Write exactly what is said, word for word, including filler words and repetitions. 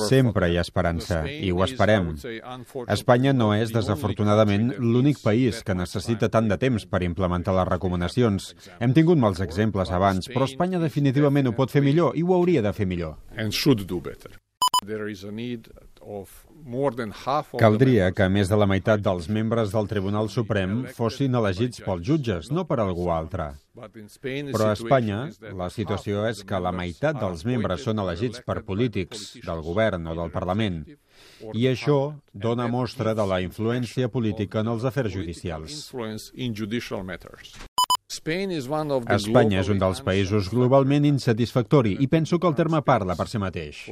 Sempre hi ha esperança, i ho esperem. Espanya no és, desafortunadament, l'únic país que necessita tant de temps per implementar les recomanacions. Hem tingut molts exemples abans, però Espanya definitivament ho pot fer millor i ho hauria de fer millor. Caldria que més de la meitat dels membres del Tribunal Suprem fossin elegits pels jutges, no per algú altre. Però a Espanya la situació és que la meitat dels membres són elegits per polítics, del govern o del Parlament. I això dona mostra de la influència política en els afers judicials. Espanya és un dels països globalment insatisfactori i penso que el terme parla per si mateix.